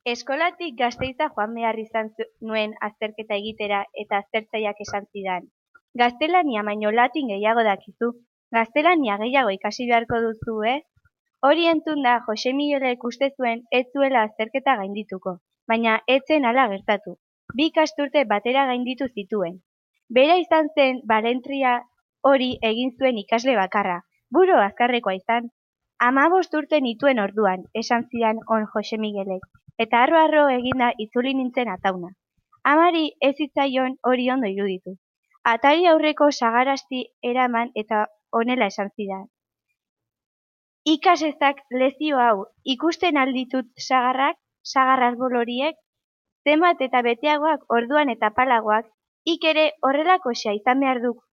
Eskolatik Gasteiza joan behar izan nuen azterketa egitera eta aztertzaileak esan zidan. Gaztelania baino latin gehiago dakizu, gaztelania gehiago ikasi beharko duzu, Hori entzunda Jose Miguelek uste zuen ez zuela azterketa gaindituko, baina ez zen hala gertatu. 2 ikasturte batera gainditu zituen. Bera izan zen balentria hori egin zuen ikasle bakarra, buru azkarrekoa izan. 15 urte nituen orduan, esan zidan on Jose Miguelek, eta harro eginda itzuli nintzen atauna. Amari ez zitzaion hori ondo iruditu. Atari aurreko sagarasti eraman eta honela esan zidan. Ikasezak lezio hau, ikusten alditut sagar arbol horiek, zenbat eta beteagoak orduan eta palagoak, ik ere horrelakoxea izan behar duk